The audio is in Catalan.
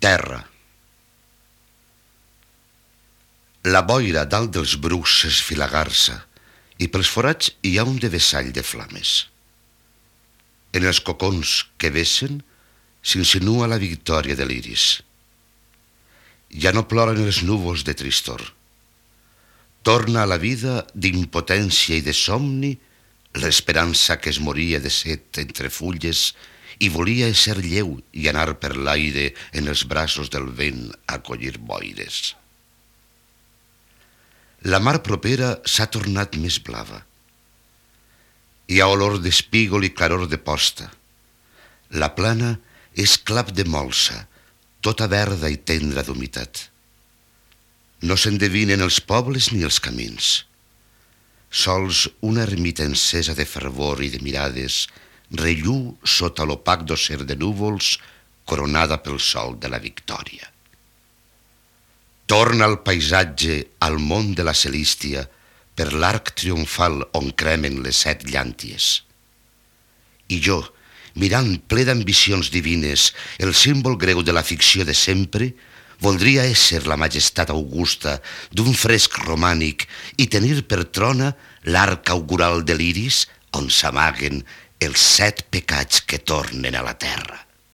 Terra. La boira dalt dels brucs s'esfilagarça i pels forats hi ha un devessall de flames. En els cocons que vessen s'insinua la victòria de l'iris. Ja no ploren els núvols de tristor. Torna a la vida d'impotència i de somni l'esperança que es moria de set entre fulles i volia ésser lleu i anar per l'aire en els braços del vent a collir boires. La mar propera s'ha tornat més blava. Hi ha olor d'espígol i claror de posta. La plana és clap de molsa, tota verda i tendra d'humitat. No s'endevinen els pobles ni els camins. Sols una ermita encesa de fervor i de mirades relluu sota l'opac docer de núvols coronada pel sol de la victòria. Torna el paisatge al món de la celístia per l'arc triomfal on cremen les 7 llànties. I jo, mirant ple d'ambicions divines el símbol greu de la ficció de sempre, voldria ésser la majestat augusta d'un fresc romànic i tenir per trona l'arc augural de l'iris on s'amaguen els 7 pecats que tornen a la terra.